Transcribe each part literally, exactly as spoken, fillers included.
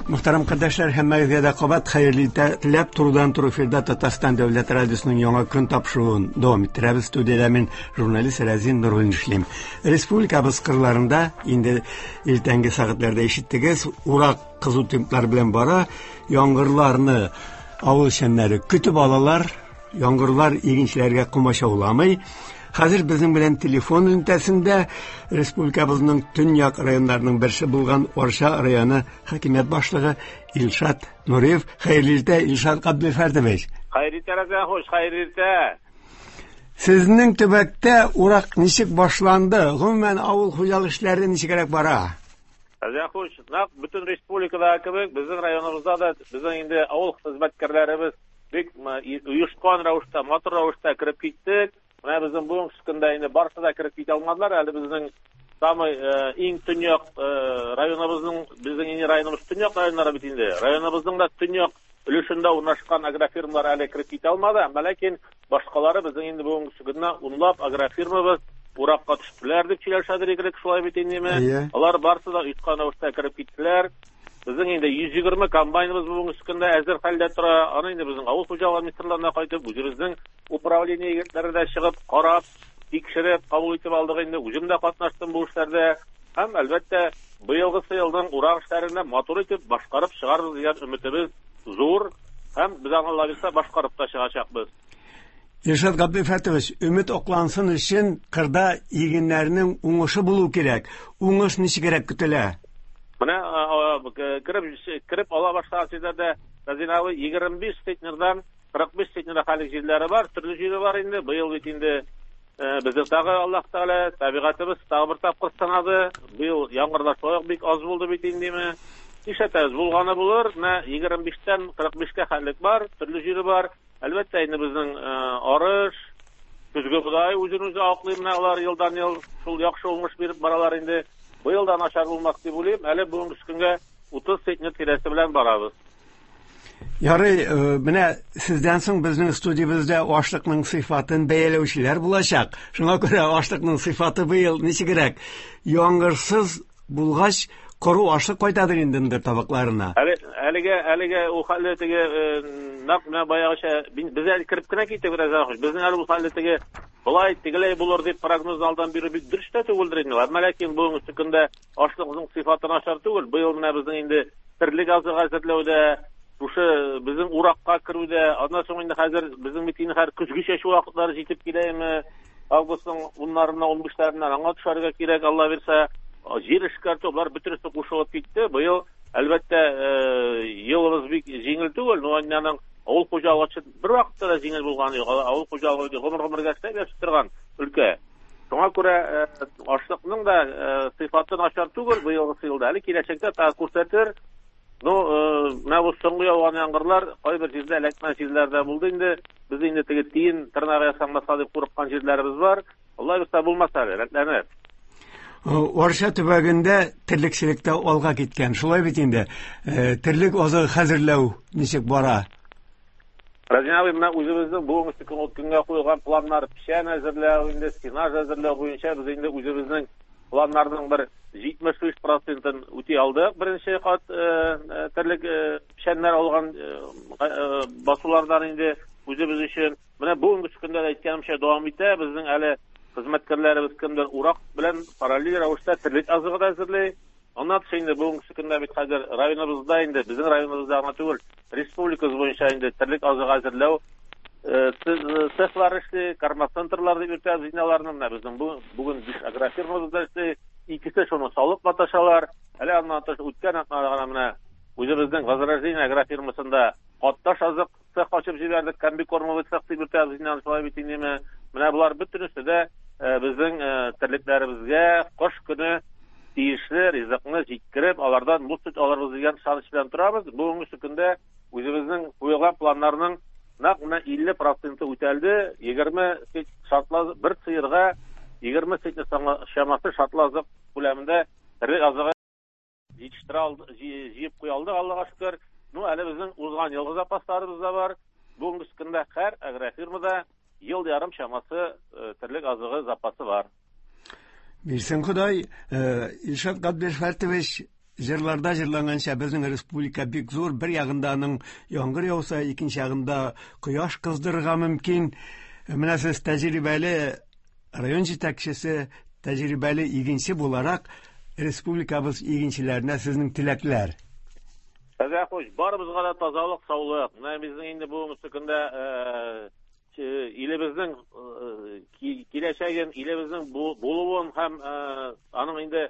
Мөхтәрәм кардәшләр, һәммәгезгә дә кабат хәерле иртә теләп, турыдан-туры эфирда Татарстан Дәүләт радиосының яңа көн тапшыруын дәвам иттерәбез. Студиядә мин, журналист Рәзин Нуруллин эшлим. Республикабыз кырларында инде иртәнге сәгатьләрдә ишеттегез, урак кызу темплар белән бара. Яңгырларны авыл эшчәннәре көтеп алалар. Яңгырлар игенчеләргә комачауламый. Хәзер безнең белән телефон элемтәсендә республикабызның төньяк районнарының берсе булган Арча районы хакимият башлыгы Илшат Нуриев. Хәерле иртә, Илшат Габделфәрдович. Хәерле иртә, Рәзин хуш, хәерле иртә. Сезнең төбәктә урак ничек башланды? Гомумән, авыл хуҗалык эшләре ничегрәк бара? Рәзин хуш, нәкъ бөтен республикадагы кебек, безнең районыбызда да безнең инде авыл хезмәткәрләребез бик оешкан рәвештә, матур рәвештә кереп киттек. Менә безнең бүгенге көндә инде барысы да кереп китә алмадылар. Әле безнең самый иң төньяк районыбызның, безнең инде районыбыз төньяк районнары бит инде. Районыбызның да төньяк өлешендә урнашкан агрофирмалар әле кереп китә алмады. Әмма ләкин башкалары безнең инде бүгенге көндә унлап агрофирмабыз уракка төштеләр дип сөйләшәдер идек, шулай бит индеме? Алар барысы да оешкан рәвештә кереп киттеләр. Безнең инде йөз егерме комбайныбыз бүгенге көндә әзер хәлдә тора. Аны инде безнең авыл хуҗалыгы министрлыгына кайтып, үзебезнең управление егетләре дә чыгып, карап, тикшереп, кабул итеп алдык инде. Үзем дә катнаштым бу эшләрдә. Һәм әлбәттә, быелгы елның урак эшләрен матур итеп башкарып чыгарбыз дигән өметебез зур һәм без аны Алла бирсә башкарып та чыгачакбыз. Илшат Габделфәтович, өмет аклансын өчен кырда игеннәрнең уңышы булу кирәк. Уңыш ничегрәк көтелә? Менә кереп кереп ала башлаган җирләрдә Рәзин абый егерме биш центнердан кырык биш центнер хәлек җирләре бар, төрле җире бар инде. Быел бит инде безнең тагы Аллаһ Тәгалә табигатыбыз тагы бер тапкыр сынады. Быел яңгырлар шулай ук бик аз булды бит индеме. Нишләтәбез, булганы булыр. Менә егерме биштән кырык бишкә хәлек бар, төрле җире бар. Әлбәттә инде безнең арыш, көзге бодай үзен үзе аклый, менә алар елдан-ел шул яхшы уңыш биреп баралар инде. Быел да начар булмас дип уйлыйм. Әле бүгенге көнгә утыз центнер тирәсе белән барабыз. Ярый, менә сездән соң безнең студиябездә ашлыкның сыйфатын бәяләүчеләр булачак. Шуңа күрә ашлыкның сыйфаты быел ничегрәк? Яңгырсыз булгач, коры ашлык кайтадыр инде ндер табакларына. Әле, әлегә, әлегә ул хәлле теге, нәкъ менә баягыча без әле кереп кенә киттек, Рәзин. Безнең әле ул хәлле теге болай тегеләй булыр дип прогноз алдан бирү бик дөрес тә түгелдер инде. Әмма ләкин бүгенге көндә ашлыкның сыйфаты начар түгел. Быел менә безнең инде терлек азыгы әзерләүдә, шушы безнең уракка керүдә, аннан соң инде хәзер безнең бит инде хәзер көзге чәчү вакытлары җитеп киләме? Августның уннарыннан, унбишләреннән аңа төшәргә кирәк, Алла бирсә, җир эшкәртү, болар бөтенесе кушылып китте. Быел, әлбәттә, елыбыз бик җиңел түгел, но аның авыл хуҗалыгы өчен бер вакытта да җиңел булганы юк. Авыл хуҗалыгы гомер-гомергә эшләп яшәп торган өлкә. Шуңа күрә ашлыкның да сыйфаты начар түгел быелгы елда. Әле киләчәктә тагы күрсәтер. Ну, менә бу соңгы яуган яңгырлар кайбер җирдә эләкмәгән җирләрдә булды инде. Без инде теге тиен тырнагы ясанмаса дип курыккан җирләребез бар. Алла бирсә булмас әле, рәтләнер. Арча төбәгендә терлекчелектә алга киткән. Шулай бит инде. Терлек азыгы хәзерләү ничек бара? Рәзин абый, менә үзебезнең бүгенге көнгә куелган планнар, печән әзерләү, инде сенаж әзерләү буенча без инде үзебезнең планнарның бер җитмеш биш процентын үти алдык. Беренче кат терлек печәннәр алган басулардан инде үзебез өчен. Менә бүгенге көндә дә әйткәнемчә дәвам итә. Безнең әле хезмәткәрләребез кемдер урак белән параллель рәвештә терлек азыгы да әзерли. Аннан тыш инде бүгенге көндә бит хәзер районыбызда инде, безнең районыбызда гына түгел, республикабыз буенча инде терлек азыгы әзерләү цехлар эшли, кормоцентрлар дип йөртәбез инде аларны. Менә безнең бүген биш агрофирмабызда эшли, икесе шуны салып маташалар. Әле аннан тыш үткән атнада гына менә үзебезнең Возрождение агрофирмасында катташ азык цех ачып җибәрдек, комбикормовый цех дип йөртәбез инде, шулай бит инде. Менә болар бөтенесе дә безнең терлекләребезгә кыш көне тиешле ризыкны җиткереп, алардан мул сөт алырбыз дигән ышаныч белән торабыз. Бүгенге көндә үзебезнең куелган планнарның нәкъ менә илле проценты үтәлде. Егерме шартлы бер сыерга егерме центнер чамасы шартлы азык күләмендә терлек азыгы җитештерә алды, җыеп куя алдык, Аллага шөкер. Ну, әле безнең узган елгы запасларыбыз да бар. Бүгенге көндә һәр агрофирмада ел ярым чамасы терлек азыгы запасы бар. Бирсен Ходай, Илшат Габделфәртович, Җырларда җырланганча, безнең республика бик зур, бер ягында аның яңгыр яуса, икенче ягында кояш кыздырырга мөмкин. Менә сез тәҗрибәле район җитәкчесе, тәҗрибәле игенче буларак республикабыз игенчеләренә сезнең теләкләр. Әзә хуш, барыбызга да тазалык, саулык. Менә безнең инде бүгенге көндә илебезнең киләчәген, илебезнең булуын һәм аның инде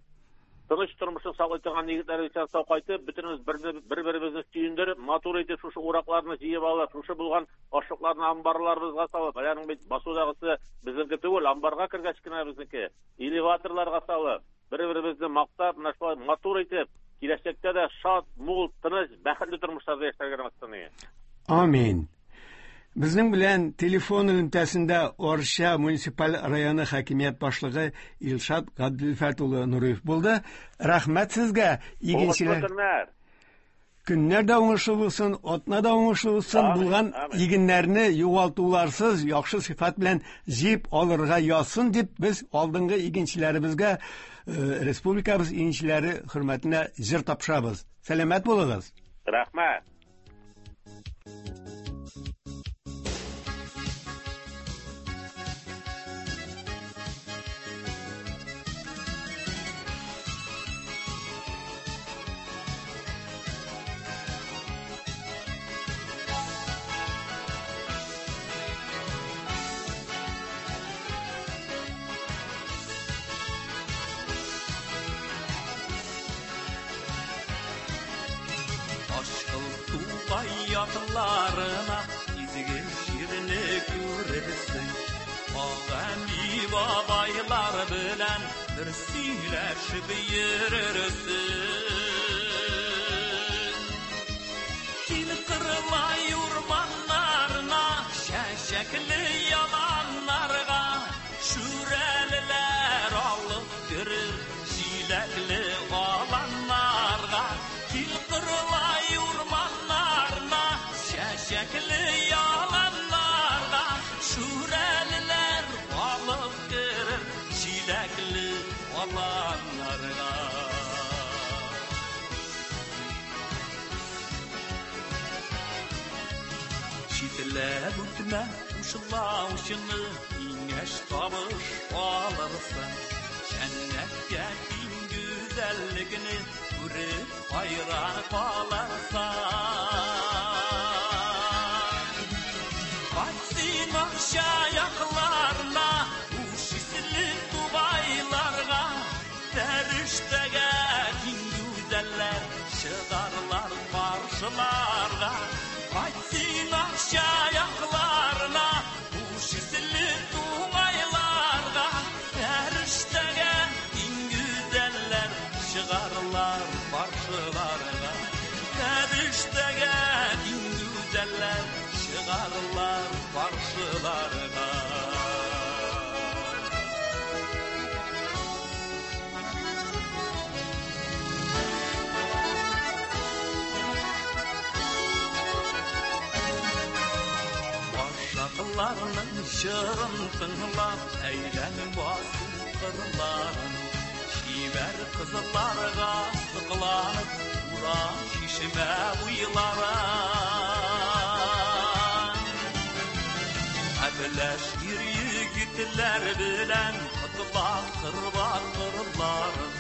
тыныч тормышын саклый торган егетләр исән сау кайтып, бөтенебез бер-беребезне сөендереп, матур итеп шушы уракларны җыеп алып, шушы булган ашлыкларны амбарларыбызга салып, аларның бит басудагысы безнеке түгел, амбарга кергәч кенә безнеке, элеваторларга салып, бер-беребезне мактап, менә шулай матур итеп, киләчәктә дә шат, мул, тыныч, бәхетле тормышларда яшәргә насыйп. Амин. Безнең белән телефон элемтәсендә Арча муниципаль районы хакимият башлыгы Илшат Габделфәт улы Нуриев булды. Рәхмәт сезгә, игенчеләр. Көннәр дә уңышлы булсын, атна да уңышлы булсын, булган игеннәрне югалтуларсыз, яхшы сыйфат белән җыеп алырга язсын дип без алдынгы игенчеләребезгә, республикабыз игенчеләре хөрмәтенә җыр тапшырабыз. Сәламәт булыгыз. Рәхмәт. Yaklарına izgi şirini görürsün. Ağami babaylar bilen bir söyleşip yürürsün. Kil kırılay ormanlarına, şeşekli yalanlarga, şüreliler alıp girir şilekli alanlarga. Kil kırılay ormanlarına, şeşekli yalanlarga, şüreliler alıp girir şilekli alanlarga. Çitlep ötme uşlauşını, İngeş tabış alırsın. Cennetke bin güzelligini görüp hayran kalarsan. Kaçsın akşa yaklarına, uş isli tubaylarga, Feriştege din güzeller çıkarlar karşılarga. Kaçsın akşa yaklarına, uş isli tubaylarga, Feriştege din güzeller çıkarlar karşılarga. Feriştege din güzeller çıkarlar karşılarga. Başaklarının şırın tınlap, eylən basın kırların. Şiver kızlarga sıklanıp, ura şişme uylara. Əbləş bir yigitlər bilən, qıtlar qırbar qırların.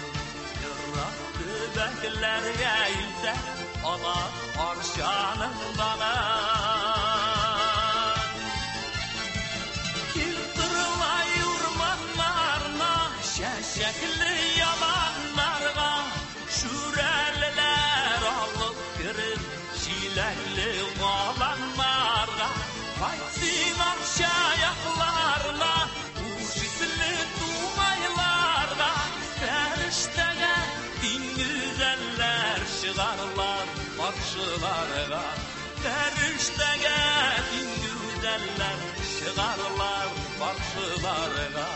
Yıraq tübəklərə ilsə, alar arşanın dana. Kil qırılay ormanlarına, şəşəkli yalanlarga, şürəlilər alıp girir şiləkli qalanlarga. Qaytsın arşa yaklarına, uş isli tuğaylarga, Fəriştəgə din güzəller çıkarlar karşılarga. Fəriştəgə din güzəller çıkarlar karşılarga.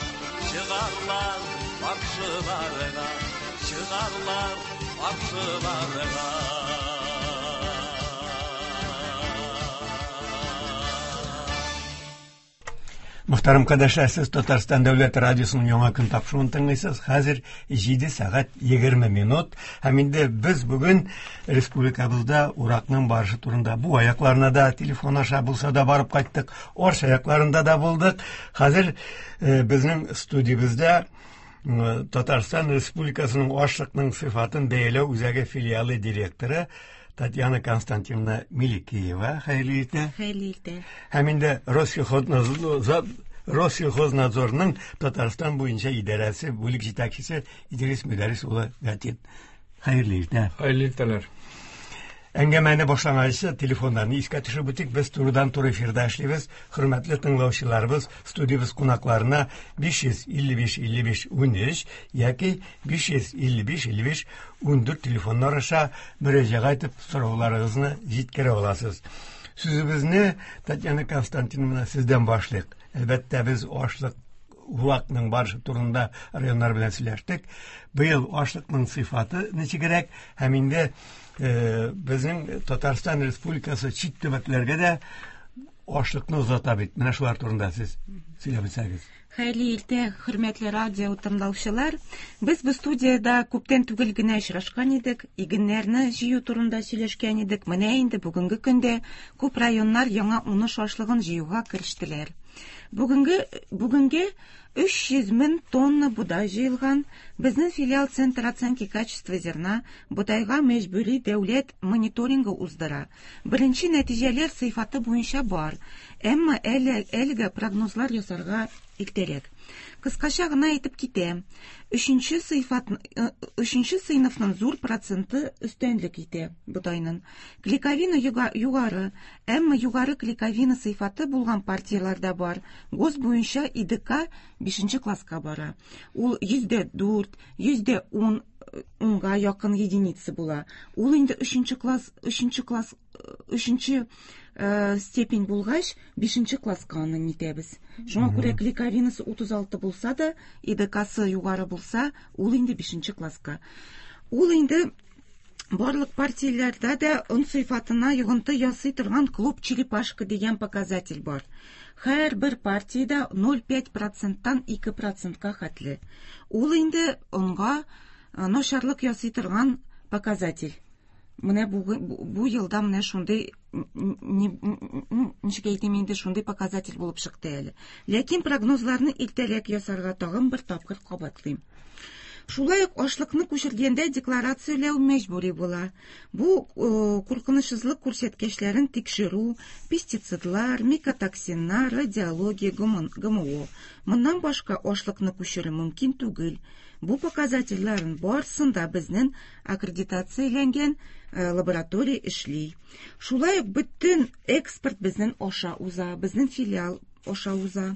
Çıkarlar karşılarga, çıkarlar karşılarga. Мөхтәрәм кардәшләр, сез Татарстан Дәүләт радиосының яңа көн тапшыруын тыңлыйсыз. Хәзер җиде сәгать егерме минут. Һәм инде без бүген республикабызда уракның барышы турында бу аякларына да телефон аша булса да барып кайттык. Орш аякларында да булдык. Хәзер э, безнең студиябездә э, Татарстан Республикасының ашлыкның сыйфатын бәяләү үзәге филиалы директоры Татьяна Константиновна Миликиева. Хәерле иртә. Хәерле иртә. Һәм инде Россельхознадзор, Россельхознадзорның Татарстан буенча идарәсе бүлек җитәкчесе Идрис Мөдәррис улы Гатин. Хәерле иртә. Хәерле иртәләр. Әңгәмәне башланганчы телефоннарны искә төшереп үтик. Без турыдан-туры эфирда эшлибез. Хөрмәтле тыңлаучыларыбыз, студиябез кунакларына биш йөз илле биш илле биш унөч яки биш йөз илле биш илле биш ундүрт телефоннар аша мөрәҗәгать итеп сорауларыгызны җиткерә аласыз. Сүзебезне Татьяна Константиновна сездән башлыйк. Әлбәттә, без ашлык уракның барышы турында районнар белән сөйләштек. Быел ашлыкның сыйфаты ничегрәк һәм инде, э, безнең Татарстан Республикасы чит төбәкләргә дә ашлыкны озата бит. Менә шулар турында сез сөйләп үтсәгез. Хәерле иртә, хөрмәтле радио тыңлаучылар. Без бу студиядә күптән түгел генә очрашкан идек, игеннәрне җыю турында сөйләшкән идек. Менә инде бүгенге көндә күп районнар яңа уңыш ашлыгын җыюга керештеләр. Бүгенге, бүгенге өч йөз мең тонна бодай җыелган. Безнең филиал Центр оценки качества зерна бодайга мәҗбүри дәүләт мониторингы уздыра. Беренче нәтиҗәләр сыйфаты буенча бар, әмма әле, әлегә прогнозлар ясарга иртәрәк. Кыскача гына әйтеп китәм. Өченче сыйфат, э, өченче сыйныфның зур проценты өстенлек итә бодайның. Клейковина юга-, югары, әмма югары клейковина сыйфаты булган партияләр дә бар. ГОСТ буенча И Д К бишенче класска бара. Ул йөздә дүрт, йөздә ун, унга якын единица була. Ул инде өченче класс, өченче класс, өченче, э, степень булгач, бишенче класска аны нитәбез. Шуңа күрә клейковинасы утыз алты булса да, И Д Ксы югары булса, ул инде бишенче класска. Ул инде барлык партияләрдә дә он сыйфатына йогынты ясый торган клуб черепашка дигән показатель бар. Һәр бер партиядә ноль пять проценттан ике процентка хәтле. Ул инде онга, э, начарлык ясый торган показатель. Менә бу, бу, бу елда менә шундый, н-, н-, н-, н-, ничек әйтим инде, шундый показатель булып чыкты әле. Ләкин прогнозларны иртәрәк ясарга тагын бер тапкыр кабатлыйм. Шулай ук ашлыкны күчергәндә декларацияләү мәҗбүри була. Бу, э, куркынычсызлык күрсәткечләрен тикшерү, пестицидлар, микотоксиннар, радиология, Г М О. Моннан башка ашлыкны күчерү мөмкин түгел. Бу показательләрнең барысын да безнең аккредитацияләнгән, э, лаборатория эшли. Шулай ук бөтен экспорт безнең аша уза, безнең филиал аша уза.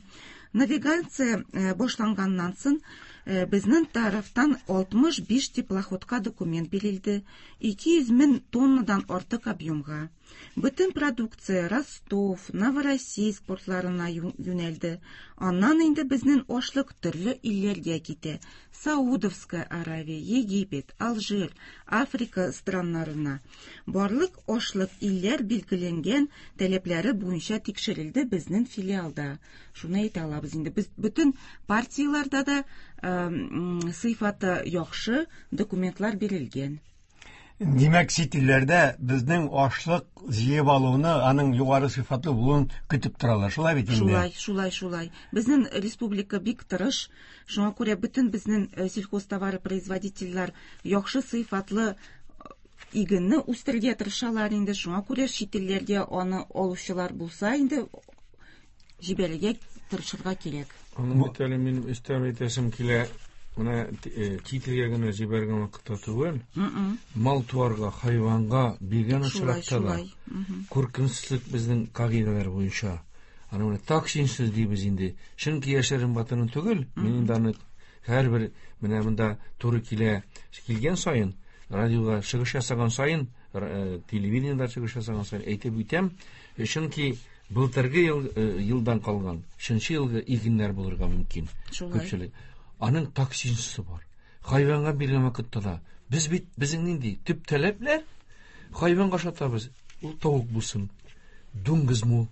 Навигация, э, башланганнан соң, э, безнең тарафтан алтмыш биш теплоходка документ бирелде, ике йөз мең тоннадан артык объемга. Бөтен продукция Ростов, Новороссийск портларына ю-, юнәлде. Аннан инде безнең ашлык төрле илләргә китә. Саудовская Аравия, Египет, Алжир, Африка страннарына. Барлык ашлык илләр билгеләнгән таләпләре буенча тикшерелде безнең филиалда. Шуны әйтә алабыз инде. Без бөтен партияләрдә дә, эм, сыйфаты яхшы документлар бирелгән. Димәк, чит илләрдә безнең ашлык җыеп алуны, аның югары сыйфатлы булуын көтеп торалар. Шулай бит инде? Шулай, шулай, шулай. Безнең республика бик тырыш. Шуңа күрә бөтен безнең, э, сельхозтоваропроизводительләр яхшы сыйфатлы, э, игенне үстерергә тырышалар инде. Шуңа күрә чит илләргә аны алучылар булса инде җибәрергә тырышырга кирәк. Аның бит әле минем өстәп әйтәсем килә. Менә, э, чит илгә генә җибәргән вакытта түгел, Мм. мал-туарга, хайванга биргән Шулай, очракта да шулай. Мгм. куркынычсызлык безнең кагыйдәләр буенча. Аны менә токсинсыз дибез инде. Чөнки яшерен батырын түгел, мин инде аны һәрбер менә монда туры килә килгән саен, радиога чыгыш ясаган саен, р-, э, телевидениедә чыгыш ясаган саен әйтеп үтәм. Чөнки былтыргы ел, э, елдан калган, өченче елгы игеннәр булырга мөмкин. Шулай. Күпчелек. Аның токсинсы бар. Хайванга биргән вакытта да без бит безнең нинди төп таләпләр? Хайванга ашатабыз. Ул тавык булсын, дуңгызмы,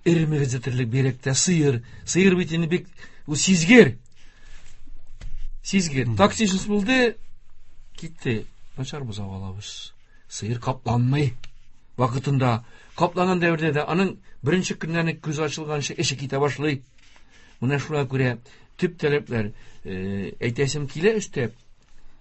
Эре мөгезле терлек бигрәк тә сыер. Сыер бит инде бик ул сизгер. Сизгер. Токсичность булды, китте. Начар бозау алабыз. Сыер капланмый. Вакытында капланган дәвердә дә аның беренче көннән үк күз ачылганчы эше китә башлый. Менә шуңа күрә төп таләпләр, әйтәсем килә өстәп,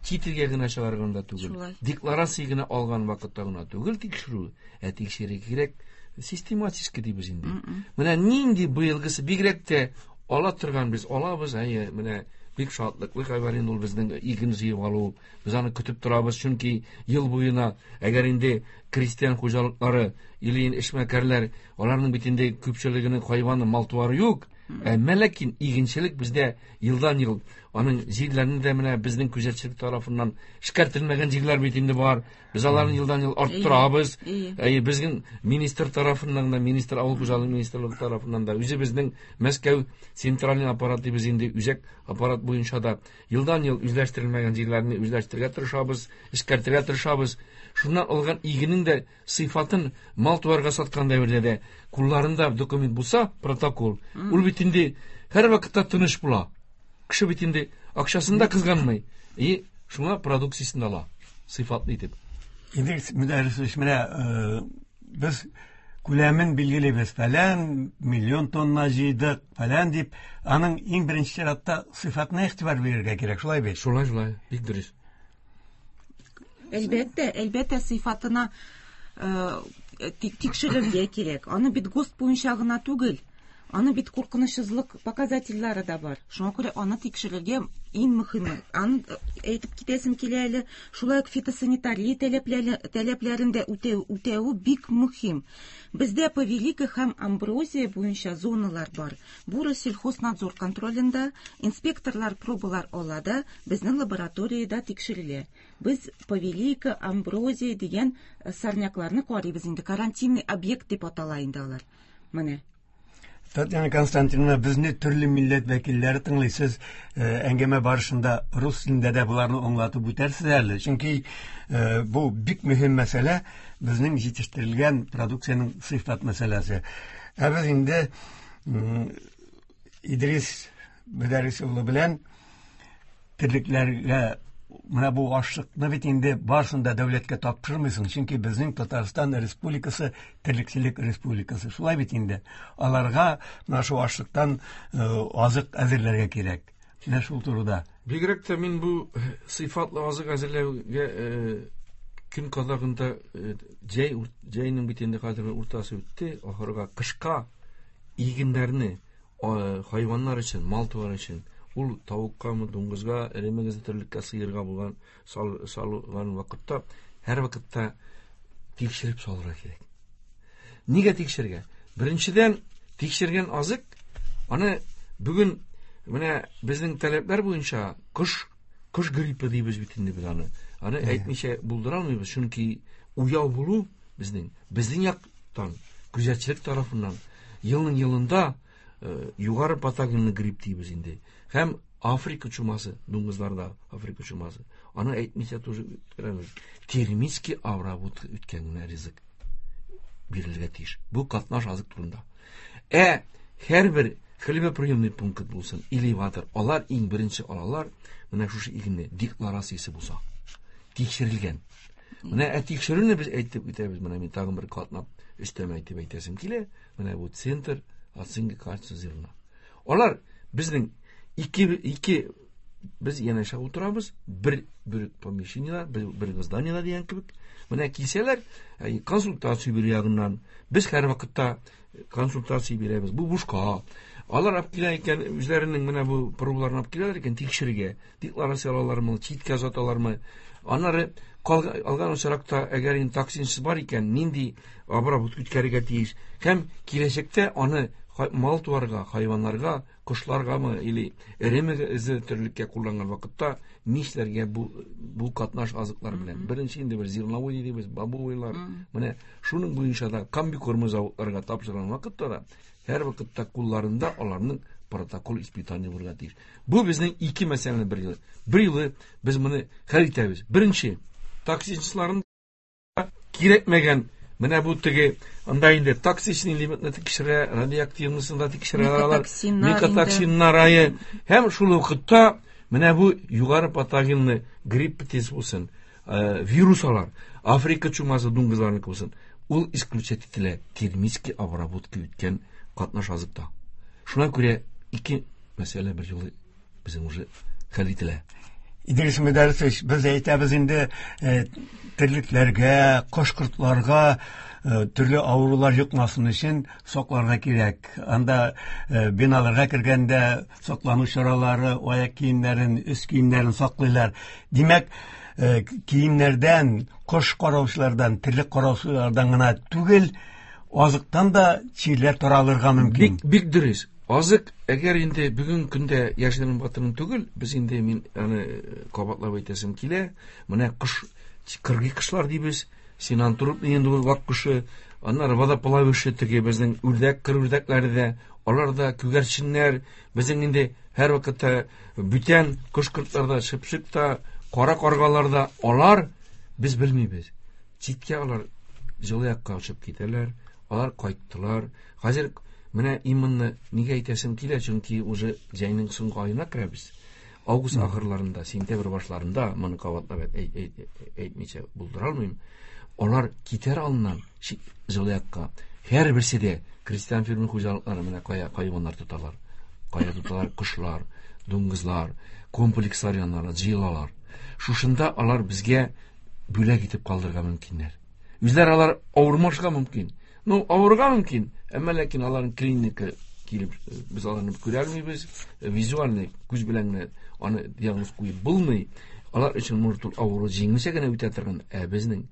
чит илгә генә чыгарганда түгел, Шулай. декларация генә алган вакытта гына түгел тикшерү, ә тикшерергә кирәк систематически дибез инде. Менә нинди быелгысы бигрәк тә ала торган без алабыз, әйе, менә бик шатлыклы хәбәр инде ул безнең иген җыеп алу. Без аны көтеп торабыз, чөнки ел буена әгәр инде крестьян хуҗалыклары или эшмәкәрләр, аларның бит инде күпчелегенең хайваны, мал-туары юк. Әмма ләкин игенчелек бездә елдан ел аның җирләрне дә менә безнең күзәтчелек тарафыннан эшкәртелмәгән җирләр бит инде бар. Без аларны елдан ел арттырабыз. Әйе. Әйе, безнең министр тарафыннан да, министр авыл хуҗалыгы министрлыгы тарафыннан да, үзе безнең Мәскәү центральный аппарат дибез инде, үзәк аппарат буенча да елдан ел үзләштерелмәгән җирләрне үзләштерергә тырышабыз, эшкәртергә тырышабыз. Шуннан алган игенең дә сыйфатын мал-туарга саткан дәвердә дә кулларында документ булса, протокол, ул бит инде һәр вакытта тыныч була. Кеше бит инде акчасын да кызганмый. И шуңа продукциясен ала, сыйфатлы итеп. Идрис Мөдәррисович, менә, э, без күләмен билгелибез, фәлән миллион тонна җыйдык, фәлән дип, аның иң беренче чиратта сыйфатына игътибар бирергә кирәк, шулай бит? Шулай, шулай, бик дөрес. Әлбәттә, әлбәттә сыйфатына, э, тик-, тикшерергә кирәк. Аны бит ГОСТ буенча гына түгел, аны бит куркынычсызлык показательләре дә бар. Шуңа күрә аны тикшерергә иң мөһиме. Аны, э, әйтеп китәсем килә әле, шулай ук фитосанитария таләпләре, таләпләрен дә үтәү, үтәү бик мөһим. Бездә повилика һәм амброзия буенча зоналар бар. Бу Россельхознадзор контролендә инспекторлар пробалар ала да безнең лабораториядә тикшерелә. Без повилика, амброзия дигән, э, сорнякларны карыйбыз инде. Карантинный объект дип атала инде алар. Менә. Татьяна Константиновна, безне төрле милләт вәкилләре тыңлый. Сез, э, әңгәмә барышында рус телендә дә боларны аңлатып үтәрсез әле. Чөнки, э, бу бик мөһим мәсьәлә, безнең җитештерелгән продукциянең сыйфат мәсьәләсе. Ә без инде, м, Идрис Мөдәррис улы белән терлекләргә менә бу ашлыкны бит инде барысын да дәүләткә тапшырмыйсың, чөнки безнең Татарстан Республикасы терлекчелек республикасы. Шулай бит инде. Аларга менә шу ашлыктан, э, азык әзерләргә кирәк. Менә шул турыда. Бигрәк тә мин бу сыйфатлы азык әзерләүгә, э, көн кадагында, э, җәй, җәйнең бит инде хәзер уртасы үтте, ахырга кышка игеннәрне, э, хайваннар өчен, мал-туар өчен, ул тавыккамы, дуңгызга, эре мөгезле терлеккә, сыерга булган сал-, салган вакытта һәр вакытта тикшереп салырга кирәк. Нигә тикшергә? Беренчедән, тикшергән азык аны бүген менә безнең таләпләр буенча кош, кош гриппы дибез бит инде без аны. Аны Әйе. әйтмичә булдыра алмыйбыз, чөнки уяу булу безнең, безнең яктан, күзәтчелек тарафыннан елның елында, э, югары патогенлы грипп дибез инде. Һәм Африка чумасы, дуңгызларда Африка чумасы. Аны әйтмичә тоже үткәрәбез. Термический обработка үткән генә ризык бирелергә тиеш. Бу катнаш азык турында. Ә һәрбер хлебоприемный пункт булсын, элеватор, алар иң беренче алалар менә шушы игенне декларациясе булса, тикшерелгән. Менә ә тикшерүне без әйтеп үтәбез. Менә мин тагын бер катнап өстәмә әйтеп әйтәсем килә. Менә бу центр оценки качества зерна. Алар безнең ике, ике без янәшә утырабыз, бер, бер помещениелар, бер, бер зданиелар дигән кебек. Менә килсәләр, әй, консультация бирү ягыннан без һәр вакытта консультация бирәбез. Бу бушка. Алар алып килә икән, үзләренең менә бу пробаларын алып киләләр икән тикшерергә. Декларация алалармы, читкә озаталармы? Аннары калга-, алган очракта, әгәр инде токсинсыз бар икән, нинди обработка үткәрергә тиеш? Һәм киләчәктә аны хай-, мал-туарга, хайваннарга, кошларгамы или эре мөгезле терлеккә кулланган вакытта нишләргә бу, бу катнаш азыклар белән? Мгм. Беренче инде бер зерновой дибез, бобовыйлар. Мгм. Менә шуның буенча да комбикормы заводларга тапшырган вакытта да һәр вакытта кулларында аларның протокол испытания булырга тиеш. Бу безнең ике мәсьәләне бер юлы. Бер юлы без моны хәл итәбез. Беренче, токсинчыларын кирәкмәгән Менә бу теге анда инде токсичный элементны тикшерә, радиоактивныйсын да тикшерә алар. Микотоксиннар ае. Һәм шул вакытта менә бу югары патогенлы грипп тез булсын, вирус алар, Африка чумасы дуңгызларныкы булсын, ул исключать ителә термический обработка үткән катнаш азыкта. Шуңа күрә ике мәсьәлә бер юлы безнең уже хәл ителә. Идрис Мөдәррисович, без әйтәбез инде терлекләргә, кош-кортларга төрле авырулар йокмасын өчен сакларга кирәк. Анда биналарга кергәндә саклану чаралары, аяк киемнәрен, өс киемнәрен саклыйлар. Димәк, киемнәрдән, кош караучылардан, терлек караучылардан гына түгел, азыктан да чирләр таралырга мөмкин. Бик, бик дөрес. Азык, әгәр инде бүген көндә яшерен батырын түгел, без инде мин аны кабатлап әйтәсем килә. Менә кош, кыргый кошлар дибез, синантропный инде ул вак кошы, аннары водоплавающий теге безнең үрдәк, кыр үрдәкләре дә, алар да күгәрченнәр, безнең инде һәр вакытта бүтән кош-кортлар да, чыпчык та, кара каргалар да, алар без белмибез. Читкә алар җылы якка очып китәләр, алар кайттылар. Хәзер менә именно нигә әйтәсем килә, чөнки уже җәйнең соңгы аена керәбез. Август ахырларында, сентябрь башларында моны кабатлап әйтмичә булдыра алмыйм. Алар китәр алдыннан җылы якка. Һәрберсе дә крестьян фермер хуҗалыклары менә кая хайваннар тоталар. Кая тоталар кошлар, дуңгызлар, комплекслар яннарына җыелалар. Шушында алар безгә бүләк итеп калдырырга мөмкиннәр. Үзләре алар авырмашка мөмкин. Ну, авырга мөмкин, әмма ләкин аларның клиника килеп без аларны күрә алмыйбыз, визуальный күз белән генә аны диагноз куеп булмый. Алар өчен может ул авыру җиңелчә генә үтә торган, ә безнең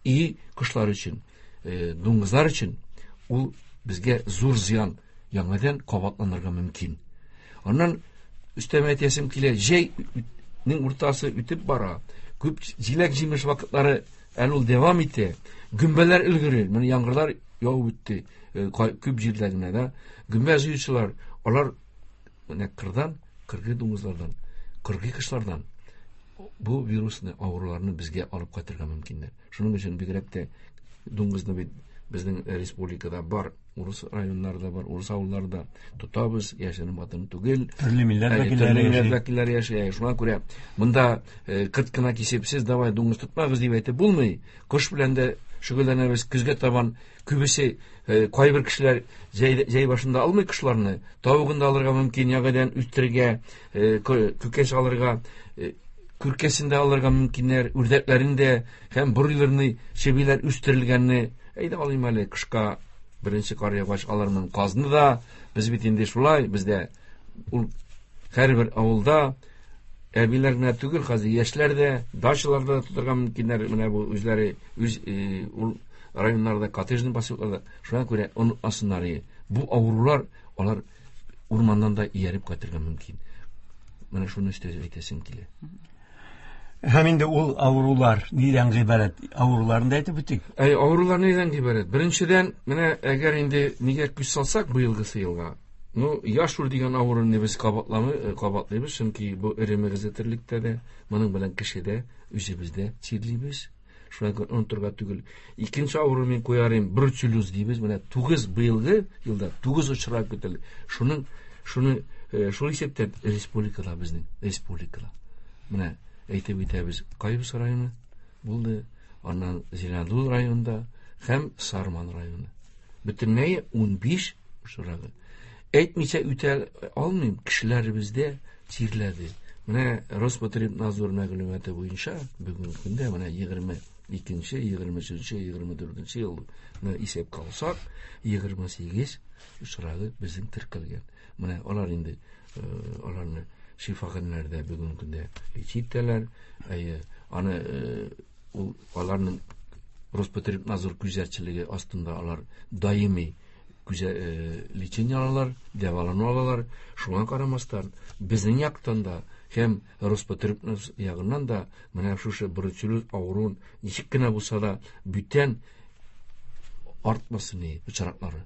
и кошлар өчен, дуңгызлар өчен ул безгә зур зыян яңадан кабатланырга мөмкин. Аннан өстәмә әйтәсем килә, җәйнең уртасы үтеп бара. Күп җиләк-җимеш вакытлары әле ул дәвам итә. Гөмбәләр өлгерер, менә яңгырлар явып үтте күп җирләрдә генә да. Гөмбә җыючылар, алар менә кырдан, кыргый дуңгызлардан, кыргый кошлардан бу вирусны, авыруларны безгә алып кайтырга мөмкиннәр. Шуның өчен бигрәк тә дуңгызны бит безнең республикада бар, урыс районнарда бар, урыс авылларда тотабыз, яшерен батырын түгел. Төрле милләт вәкилләре вәкилләре яши. Шуңа күрә монда кырт кына кисеп, сез давай дуңгыз тотмагыз дип әйтеп булмый. Кош белән дә шөгыльләнәбез, көзгә табан күбесе кайбер кешеләр җәй, җәй башында алмый кошларны, тавыгын да алырга мөмкин, яңадан үстерергә, күкәш алырга, күркәсен дә алырга мөмкиннәр, үрдәкләрен дә һәм бройлерны, чебиләр үстерелгәнне әйдә алыйм әле кышка беренче кар яугач алармын казны да. Без бит инде шулай, бездә ул һәрбер авылда әбиләр генә түгел, хәзер яшьләр дә дачаларда тотырга мөмкиннәр. Менә бу үзләре үз ул районнарда, коттеджный поселокларда. Шуңа күрә онытмасыннар, бу авырулар алар урманнан да ияреп кайтырга мөмкин. Менә шуны өстәп әйтәсем килә. Һәм инде ул авырулар нидән гыйбарәт? Авыруларны да әйтеп үтик. Әй, авырулар нидән гыйбарәт? Беренчедән, менә әгәр инде нигә күз салсак быелгысы елга, ну, яшур дигән авыруны без кабатламый, кабатлыйбыз, чөнки бу эре мөгезле терлектә дә, моның белән кешедә, үзебездә чирлибез. Шуңа күрә онытырга түгел. Икенче авыру мин куярым, бруцеллез дибез. Менә тугыз быелгы елда тугыз очрак көтелде. Шуның, шуны, шул исәптән республикада безнең, республикада. Менә әйтеп үтәбез, Кайбыч районы булды, аннан Зеленодол районында һәм Сарман районы. Бөтенләй унбиш очрагы. Әйтмичә үтә алмыйм, кешеләребездә чирләде. Менә Роспотребнадзор мәгълүматы буенча бүгенге көндә менә егерме икенче, егерме өченче, егерме дүртенче елны исәпкә алсак, егерме сигез очрагы безнең теркәлгән. Менә алар инде аларны шифаханәләрдә бүгенге көндә лечить итәләр. Әйе, аны ул аларның Роспотребнадзор күзәтчелеге астында алар даими күзә лечение алалар, дәвалану алалар. Шуңа карамастан безнең яктан да һәм Роспотребнадзор ягыннан да менә шушы бруцеллез авыруын ничек кенә булса да бүтән артмасын очраклары.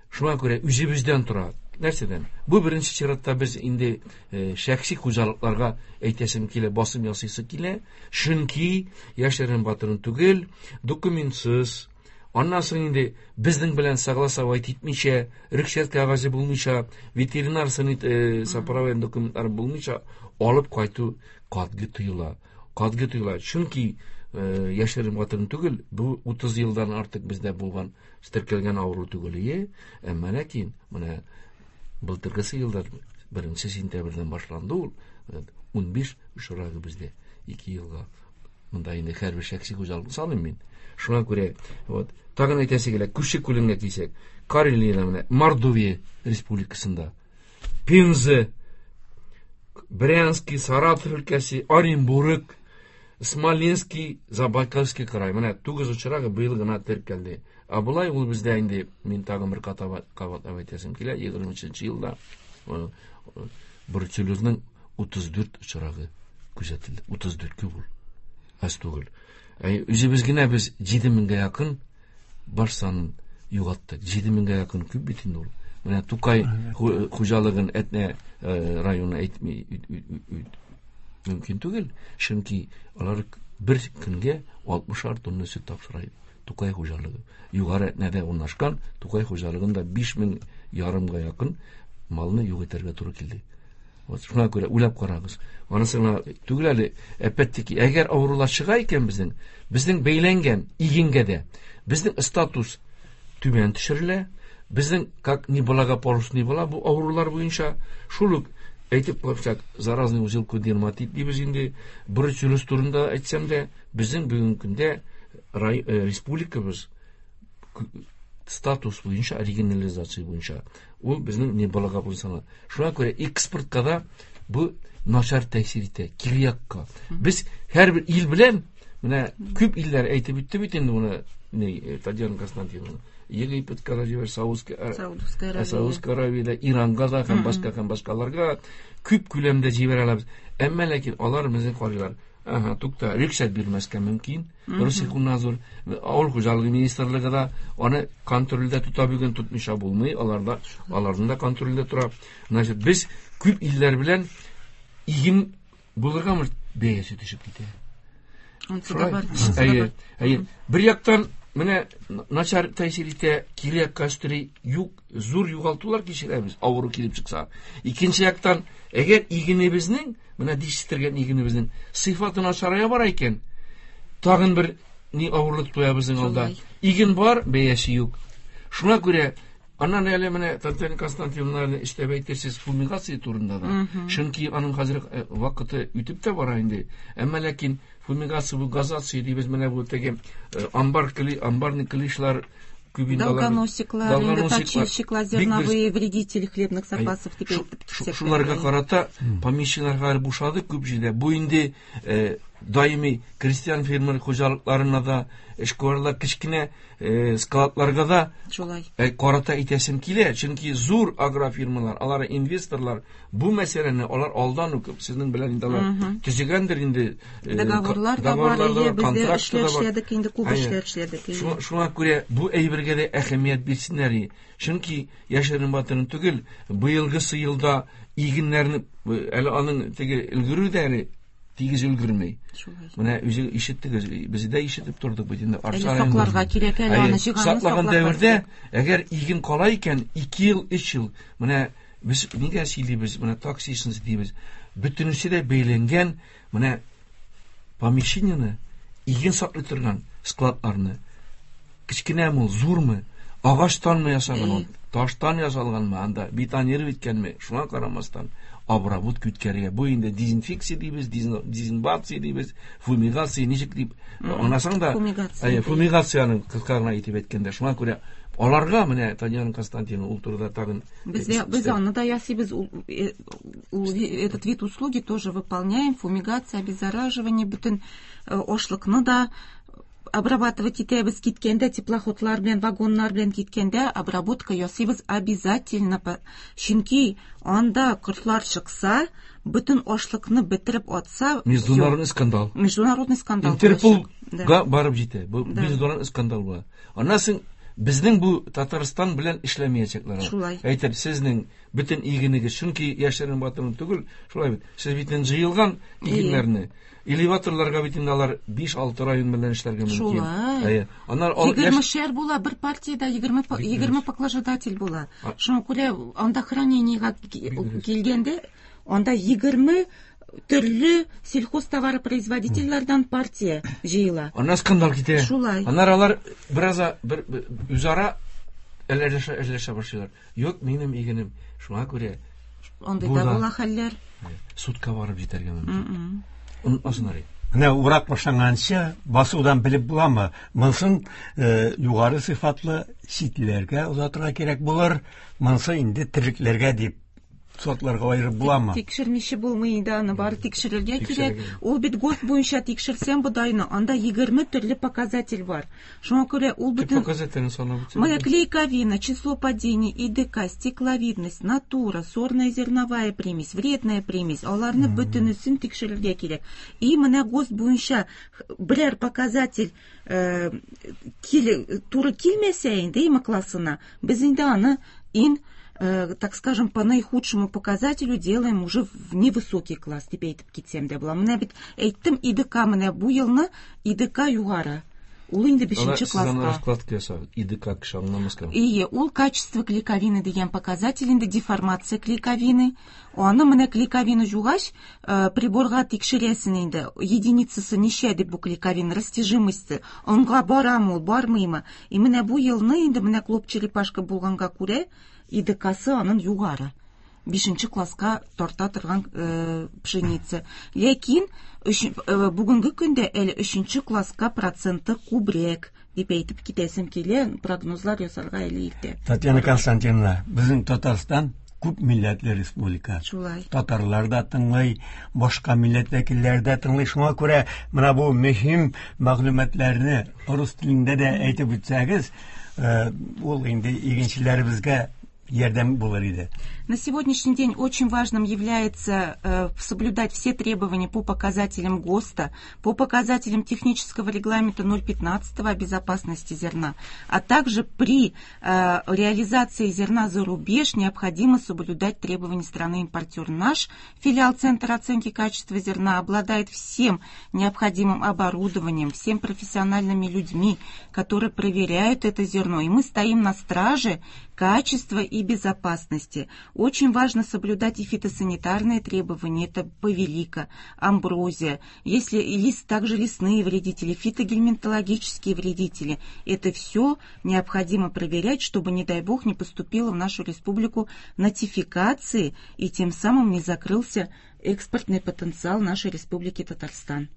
Шуңа күрә үзебездән тора. Нәрсәдән? Бу беренче чиратта без инде шәхси хуҗалыкларга әйтәсем килә, басым ясыйсы килә. Чөнки яшерен батырын түгел, документсыз, Аннан соң инде безнең белән согласовать итмичә, рөхсәт кәгазе булмыйча, ветеринар сопроводительный документлары булмыйча алып кайту катгый тыела. Катгый тыела. Чөнки яшерен батырын түгел, бу утыз елдан артык бездә булган, теркәлгән авыру түгел ие. Әмма ләкин менә былтыргысы елда беренче сентябрьдән башланды ул. ун биш очрагы бездә ике елга. Монда инде һәрбер шәхси хуҗалыкны саныйм мин. Шуңа күрә, вот, тагын әйтәсе килә, күрше күлемгә килсәк, Карелиядә менә Мордовия республикасында, Пенза, Брянский, Саратов өлкәсе, Оренбург, Смоленский, Забайкальский край. Менә тугыз очрагы быел гына теркәлде. Ә болай ул бездә инде мин тагын бер кабатлап әйтәсем килә, егерме өченче елда бруцеллезның утыз дүрт очрагы күзәтелде. Утыз дүрт күп ул. Аз түгел. Үзебез генә без җиде меңгә якын баш санын югалттык. Җиде меңгә якын күп бит инде ул. Менә Тукай хуҗалыгын Әтнә районы әйтми мөмкин түгел, чөнки алар бер көнгә алтмышар тонна сөт тапшыра иде. Тукай хуҗалыгы. Югары Әтнәдә урнашкан Тукай хуҗалыгында биш мең ярымга якын малны юк итәргә туры килде. Вот шуңа күрә уйлап карагыз. Анысы гына түгел әле, опять-таки, әгәр авырулар чыга икән безнең, безнең бәйләнгән игенгә дә, безнең статус түбән төшерелә, безнең как неблагополучный була бу авырулар буенча, шул ук әйтеп куйсак, заразный узелку дерматит дибез инде, бруцеллез турында әйтсәм дә, безнең бүгенге көндә республикабыз статус буенча, регионализация буенча, ул безнең неблагополучный. Шуңа күрә экспортка да бу начар тәэсир итә, кире якка. Без һәрбер ил белән, менә күп илләр әйтеп үтте бит инде моны, Татьяна Константиновна. Египетка да җибәр, Саудовская, Саудовская Аравиядә, Иранга да һәм башка һәм башкаларга күп күләмдә җибәрә алабыз. Әмма ләкин алар безне карыйлар. Ага, тукта, рөхсәт бирмәскә мөмкин. Россельхознадзор, авыл хуҗалыгы министрлыгы да аны контрольдә тота, бүген тотмыйча булмый, аларда, аларның да контрольдә тора. Значит, без күп илләр белән иген булырга может бәясе төшеп китә. Әйе, әйе. Бер яктан менә начар тәэсир итә, кире якка өстери, юк, зур югалтулар кичерәбез, авыру килеп чыкса. Икенче яктан, әгәр игенебезнең, менә дишетергән игенебезнең сыйфаты начарая бара икән, тагын бер ни авырлык туя безнең алда. Иген бар, бәясе юк. Шуңа күрә аннан әле менә Татьяна Константиновна эшләп әйтерсез фумигация турында да. Чөнки аның хәзер вакыты үтеп тә бара инде. Әмма ләкин фумигация бу газация дибез, менә бу теге амбар кли, амбарный клишлар, долгоносиклар, точильщиклар, зерновые вредители хлебных запасов дип әйтеп китсәк. Шуларга карата помещениеләр бушады күп җирдә. Бу инде даими крестьян фермер хуҗалыкларына да, эшкуарлар кечкенә складларга да шулай карата әйтәсем килә. Чөнки зур агрофирмалар, алар инвесторлар, бу мәсьәләне алар алдан ук сезнең белән инде алар төзегәндер инде, договорлар да бар, бездә эшләр эшләдек инде, күп эшләр эшләдек. Шуңа күрә бу әйбергә дә әһәмият бирсеннәр. Чөнки яшерен батырын түгел, быелгысы елда игеннәрне әле аның теге өлгерү дә әле тигез өлгермәй. Менә үзе ишеттегез, без дә ишетеп тордык бит инде. Әле сакларга кирәк әле аны җыйганны саклаган дәвердә, әгәр иген кала икән, ике ел, өч ел, менә без нигә сөйлибез, менә таксисыз дибез. Бөтенесе дә бәйләнгән, менә помещениене, иген саклый торган складларны, кечкенәме ул, зурмы, агачтанмы ясалган, таштан ясалганмы, анда бетонировать иткәнме, шуңа карамастан обработка үткәрергә. Бу инде дезинфекция дибез, дезинбация дибез, фумигация ничек дип аңласаң да, фумигацияны кыска гына итеп әйткәндә, шуңа күрә аларга менә Татьяна Константиновна ул турыда тагын без без аны да ясыйбыз, этот вид услуги тоже выполняем, фумигация, обеззараживание, бөтен ашлыкны да обрабатывать итәбез киткәндә, теплоходлар белән, вагоннар белән киткәндә обработка ясыйбыз обязательно, чөнки анда кортлар чыкса, бөтен ашлыкны бетереп атса, международный скандал. Международный скандал. Интерполга барып җитә. Бу международный скандал була. Аннан соң Безнең бу Татарстан белән эшләмәячәкләр. Шулай. Әйтер, сезнең бөтен игенегез, чөнки яшерен батырын түгел, шулай бит. Сез бит җыелган игеннәрне элеваторларга бит инде алар биш-алты район белән эшләргә мөмкин. Шулай. Әйе. Аннар ал- егермешәр була, бер партиядә егерме па- Бик егерме дөрес. поклажедатель була. А- Шуңа күрә анда хранениега Бик дөрес. килгәндә, анда егерме төрле сельхозтоваропроизводительләрдән партия җыела. Аннан скандал китә. Шулай. Аннар алар бераз бер бер- үзара әләшә әләшә башлыйлар. Юк, минем игенем. Шуңа күрә Андый Бу да да. була хәлләр. судка барып җитәргә мөмкин. Онытмасыннар. Менә урак башланганчы басудан белеп буламы? Монысын э, югары сыйфатлы читләргә озатырга кирәк булыр. Монысы инде терлекләргә дип сортларга аерып буламы? Тикшермичә булмый инде аны, бары тикшерергә Тикшерергә кирәк. Ул бит ГОСТ буенча тикшерсәң бодайны, анда егерме төрле показатель бар. Шуңа күрә ул Төп бөтен показательне санап үтсәң. Моя клейковина, число падений, И Д К, стекловидность, натура, сорная зерновая примесь, вредная примесь. Аларны бөтенесен тикшерергә кирәк. И менә ГОСТ буенча берәр показатель э, кил, туры килмәсә инде има классына, без инде аны ин э, так скажем, по наихудшему показателю делаем уже в невысокий класс, дип әйтеп китсәм дә була. Менә бит әйттем, И Д К менә бу елны И Д К югары. Ул инде бишенче Сез аны класска. Раскладка ясагыз. И Д К кеше аңламаска. Ие, ул качество клейковины дигән показатель инде, деформация клейковины. Аны менә клейковина жугач, э, приборга тикшерәсең инде. Единицасы ничә дип бу клейковина, растяжимости. Онга барамы ул, бармыймы? И менә бу елны инде менә клоп черепашка булганга күрә, И Д Ксы аның югары. Бишенче класска тарта торган э, пшеница. Ләкин өч- э, бүгенге көндә әле өченче класска проценты күбрәк дип әйтеп китәсем килә, прогнозлар ясарга әле иртә. Татьяна Константиновна, безнең Татарстан күп милләтле республика. Шулай. Татарлар да тыңлый, башка милләт вәкилләре дә тыңлый. Шуңа күрә менә бу мөһим мәгълүматларны рус телендә дә әйтеп үтсәгез, э, ул инде игенчеләребезгә ярдәм булыр иде. На сегодняшний день очень важным является э, соблюдать все требования по показателям ГОСТа, по показателям технического регламента ноль пятнадцать о безопасности зерна, а также при э, реализации зерна за рубеж необходимо соблюдать требования страны-импортера. Наш филиал Центра оценки качества зерна обладает всем необходимым оборудованием, всем профессиональными людьми, которые проверяют это зерно. И мы стоим на страже качества и безопасности. Очень важно соблюдать и фитосанитарные требования. Это повилика, амброзия, если и лис, также лесные вредители, фитогельминтологические вредители. Это все необходимо проверять, чтобы, не дай бог, не поступило в нашу республику нотификации и тем самым не закрылся экспортный потенциал нашей республики Татарстан.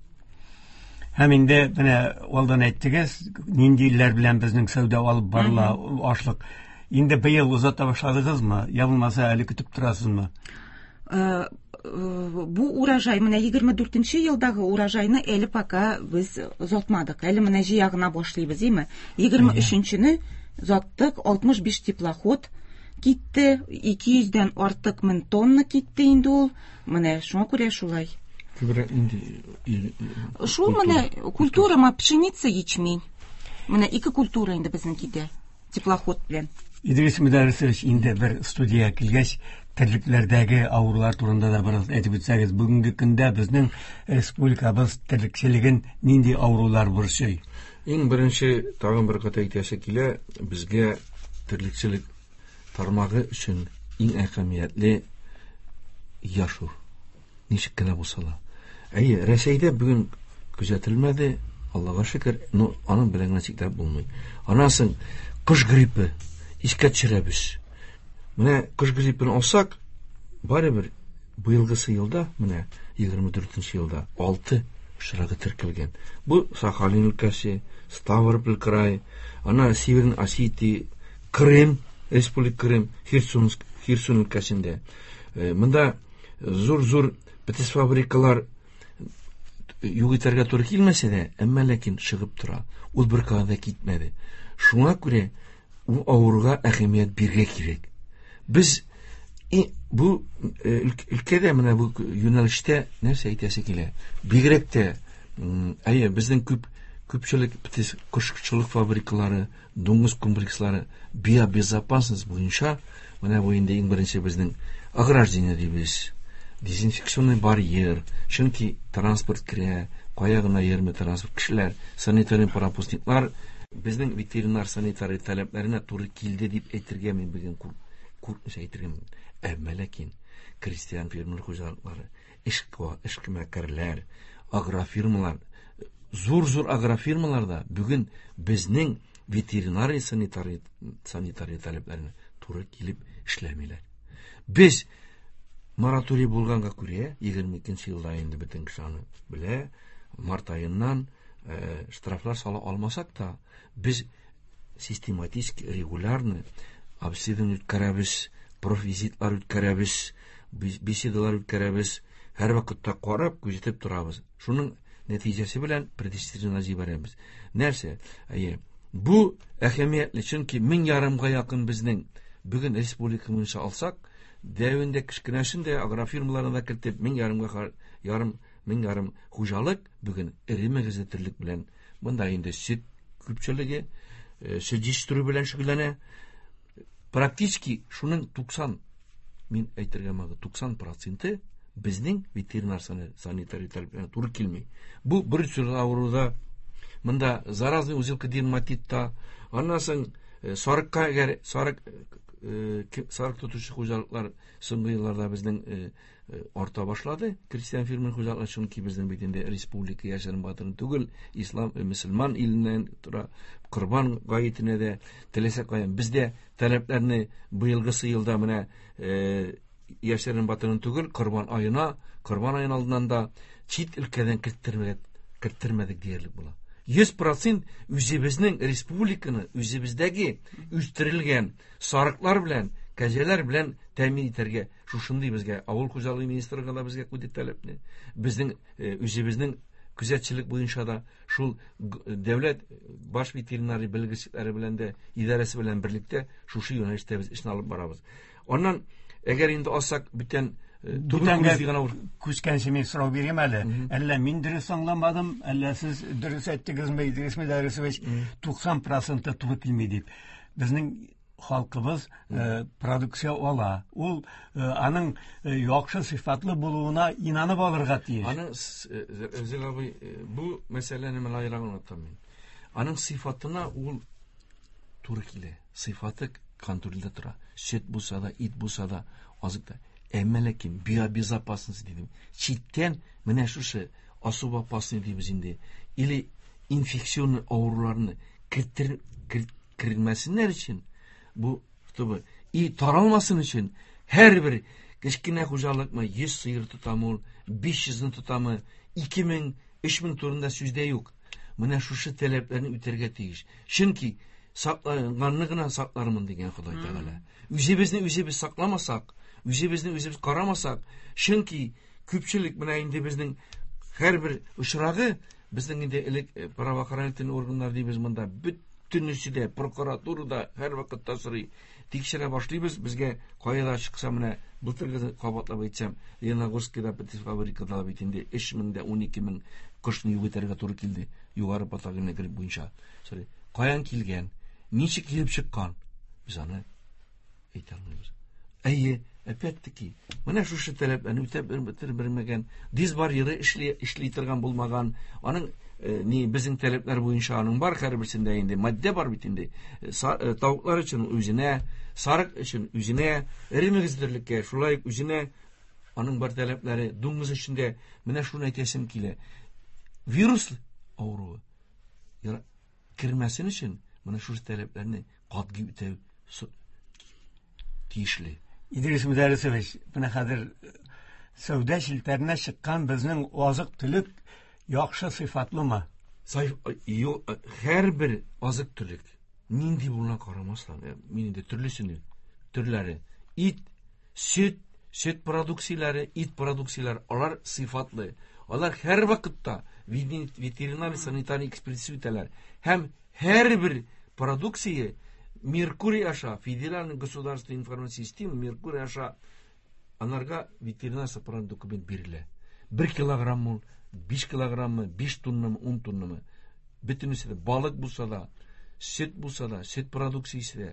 Һәм инде менә алдан әйттегез, нинди илләр белән безнең сәүдә алып барыла ашлык. Инде быел озата башладыгызмы? Я булмаса әле көтеп торасызмы? Э, э, бу урожай менә егерме дүртенче елдагы урожайны әле пока без озатмадык. Әле менә җыя гына башлыйбыз, име? Егерме өченчене озаттык, алтмыш биш теплоход китте, ике йөздән артык мең тонна китте инде ул. Менә шуңа күрә шулай. Күбрәк инде и- Шул менә культура ма пшеница, ячмень. Менә ике культура инде безнең китә теплоход белән. Идрис Мөдәррисович, инде бер студиягә килгәч, терлекләрдәге авырулар турында да бераз әйтеп үтсәгез, бүгенге көндә безнең республикабыз терлекчелеген нинди авырулар борчый? Иң беренче тагын бер кат әйтәсе килә, безгә терлекчелек тармагы өчен иң әһәмиятле яшур. Ничек кенә булса да. Әйе, Рәсәйдә бүген күзәтелмәде, Аллага шөкер, но аның белән генә чикләп булмый. Аннан соң кош гриппы искә төшерәбез. Менә кош гриппын алсак, барыбер быелгысы елда, менә егерме дүртенче елда алты очрагы теркәлгән. Бу Сахалин өлкәсе, Ставрополь край, ана Северный Осетия, Крым, Республика Крым, Херсон, Херсон өлкәсендә. Э, монда зур-зур птицфабрикалар юк итәргә туры килмәсә дә, әмма ләкин чыгып тора. Ул бер кая да китмәде. Шуңа күрә ул авыруга әһәмият бирергә кирәк. Без и, бу э, өлкәдә менә бу юнәлештә нәрсә әйтәсе килә? Бигрәк тә, м, әйе, безнең күп Күпчелек кошчылык фабрикалары, дуңгыз комплекслары биобезопасность буенча менә бу инде иң беренче безнең ограждение дибез. Дезинфекционный барьер, чөнки транспорт керә, кая гына йөрми транспорт, кешеләр, санитарий пропускниклар безнең ветеринар санитарий таләпләренә туры килде дип әйтергә мин бүген куркмыйча әйтергә мөмкин. Әмма ләкин крестьян фермер хуҗалыклары, эшмәкәрләр, агрофирмалар, зур-зур агрофирмаларда бүген безнең ветеринарий санитарий санитарий таләпләренә туры килеп эшләмиләр. Без мораторий булганга күрә, егерме икенче елда инде бөтен кеше аны белә, март аеннан э, штрафлар сала алмасак та, без систематически, регулярно обследование үткәрәбез, профвизитлар үткәрәбез, беседалар үткәрәбез, һәр вакытта карап, күзәтеп торабыз. Шуның нәтиҗәсе белән предиследование җибәрәбез. Нәрсә? Әйе, бу әһәмиятле, чөнки мең ярымга якын безнең бүген республика буенча алсак, дәвендә кечкенәсен дә агрофирмаларны да кертеп, мең ярымга ярым, мең ярым хуҗалык бүген эре мөгезле терлек белән, монда инде сөт күпчелеге, сөт җитештерү белән шөгыльләнә. Практически шуның туксан, мин әйтергә мөмкин, туксан проценты безнең ветеринар санитарий таләпләренә туры килми. Бу бер төр авыруда, монда заразный узелка дерматитта, аннан соң сарыкка, әгәр сарык, сарык тотучы хуҗалыклар соңгы елларда безнең арта башлады. Крестьян фермер хуҗалыклар, чөнки безнең бит инде республика яшерен батырын түгел, ислам, мөселман иленнән тора, корбан гаетенә дә теләсә каян. Бездә таләпләрне быелгысы елда менә яшерен батырын түгел, корбан аена, корбан аен алдыннан да чит өлкәдән керттермәдек, керттермәдек диярлек була. Йөз процент үзебезнең республиканы, үзебездәге үстерелгән сарыклар белән, кәҗәләр белән тәэмин итәргә шушындый безгә авыл хуҗалыгы министрлыгы да безгә куйды таләпне. Безнең үзебезнең күзәтчелек буенча да шул дәүләт баш ветеринария белгечләре белән дә, идарәсе белән берлектә шушы юнәлештә без эшне алып барабыз. Аннан әгәр инде алсак бүтән Бүтәнгә күчкәнче мин сорау бирәм әле. Әллә мин дөрес аңламадым, әллә сез дөрес әйттегезме, Идрис Мөдәррисович, туксан проценты туры килми дип. Безнең халкыбыз продукция ала. Ул аның яхшы сыйфатлы булуына инанып алырга тиеш. Аның, Рәзил абый, бу мәсьәләне мин аерым аңлатам мин. Аның сыйфатына ул туры килә. Сыйфаты контрольдә тора. Сөт булса да, ит булса да, азык та. Әмма ләкин биобезопасность дидем. Читтән менә шушы особо опасный дибез инде. Или инфекционный авыруларны кертер, кермәсеннәр өчен, бу, чтобы и таралмасын өчен һәрбер кечкенә хуҗалыкмы, йөз сыер тотамы ул, биш йөзне тотамы, ике мең, өч мең турында сүз дә юк. Менә шушы таләпләрне үтәргә тиеш. Чөнки сакланганны гына саклармын дигән Ходай Тәгалә. Үзебезне үзебез сакламасак, үзебезне үзебез карамасак, чөнки күпчелек менә инде безнең һәрбер очрагы, безнең инде элек правоохранительный органнар дибез монда, бөтенесе дә, прокуратура да һәр вакытта сорый, тикшерә башлыйбыз, безгә кая да чыкса, менә былтыргы кабатлап әйтсәм, Лениногорскида птицефабрикада бит инде өч мең дә унике мең кошны юк итәргә туры килде, югары патогенный грипп буенча. Сорый, каян килгән, ничек килеп чыккан, без аны әйтә алмыйбыз. Әйе, опять-таки, менә шушы таләпләрне үтәп бетермәгән, дисбарьеры эшли, эшли торган булмаган, аның ни безнең таләпләр буенча аның бар һәрберсендә инде маддә бар бит инде. Тавыклар өчен үзенә, сарык өчен үзенә, эре мөгезлелеккә шулай ук үзенә аның бар таләпләре, дуңгыз өчен дә менә шуны әйтәсем килә. Вирус авыруы кермәсен өчен менә шушы таләпләрне катгый үтәү тиешле. Идрис Мөдәррисович, менә хәзер сәүдә челтәренә чыккан безнең азык-төлек яхшы сыйфатлымы? Һәрбер азык-төлек нинди булуына карамастан, мин инде төрлесен, төрләре, ит, сөт, сөт продукцияләре, ит продукцияләре, алар сыйфатлы. Алар һәр вакытта ветеринар санитарий экспертиза үтәләр. Һәм һәрбер продукция Меркурий аша, федеральный государственный информационный система Меркурий аша анарга ветеринар сапаран документ бирелә. Бер килограмм ул, биш килограммы, биш тоннамы, ун тоннамы. Бөтенесе дә балык булса да, сөт булса да, сөт продукциясе дә,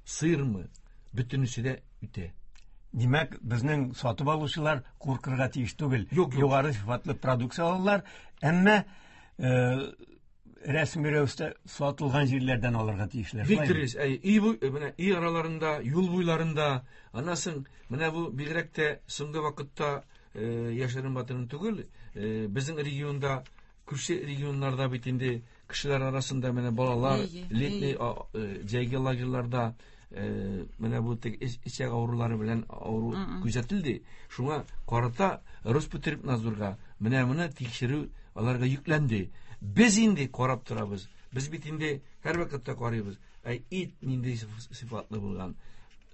сырмы, бөтенесе дә үтә. Димәк, безнең сатып алучылар куркырга тиеш түгел. Юк, юк. Югары сыйфатлы продукция алалар, әмма э, рәсми рәвештә сатылган җирләрдән алырга тиешләр. Бик дөрес. Әй, өй бу, менә өй араларында, юл буйларында, аннан соң менә бу бигрәк тә соңгы вакытта э, яшерен батырын түгел, э, безнең регионда, күрше регионнарда бит инде кешеләр арасында менә балалар Әйе, летний әйе. а, э, җәйге лагерьларда э, менә бу теге эч- эчәк авырулары белән авыру күзәтелде. Шуңа карата Роспотребнадзорга менә моны тикшерү аларга йөкләнде. Без инде карап торабыз. Без бит инде һәр вакытта карыйбыз. Әй, ит нинди сыйф- сыйфатлы булган.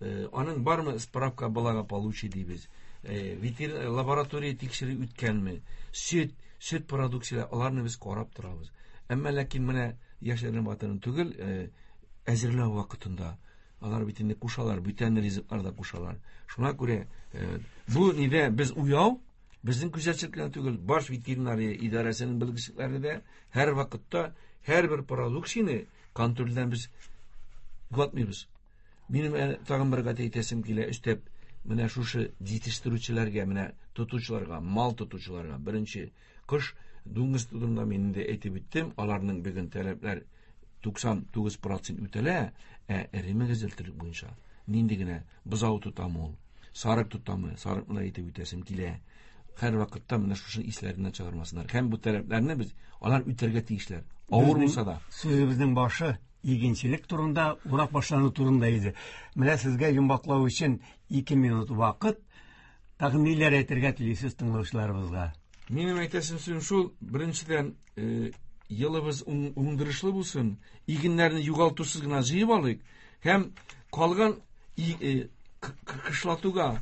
Э, аның бармы справка благополучие дибез. Э, ветеринар лаборатория тикшерү үткәнме? Сөт, сөт продукцияләре аларны без карап торабыз. Әмма ләкин менә яшерен батырын түгел, э, әзерләү вакытында алар бит инде кушалар, бүтән ризыклар да кушалар. Шуңа күрә, э, бу нидә без уяу, безнең күзәтчелек кенә түгел, баш ветеринария идарәсенең белгечләре дә һәр вакытта һәрбер продукцияне контрольдән без югалтмыйбыз. Минем әле тагын бер гәт әйтәсем килә, өстәп, менә шушы җитештерүчеләргә, менә тотучыларга, мал тотучыларга беренче кыш дуңгыз турында мин инде әйтеп үттем, аларның бүген таләпләр туксан тугыз процент үтәлә, ә эре мөгезле терлек буенча нинди генә бозау тотамы ул, сарык тотамы, сарыкны да әйтеп үтәсем килә. Һәр вакытта менә шушы исләреннән чыгармасыннар. Һәм бу таләпләрне без алар үтәргә тиешләр. Авыр Безнең булса да. Сүзебезнең башы игенчелек турында, урак башлану турында иде. Менә сезгә йомгаклау өчен ике минут вакыт. Тагын ниләр әйтергә телисез тыңлаучыларыбызга? Минем әйтәсем сүзем шул, беренчедән, э, елыбыз уң-, уңдырышлы булсын, игеннәрне югалтусыз гына җыеп алыйк һәм калган и-, э, к-, к-, кышлатуга,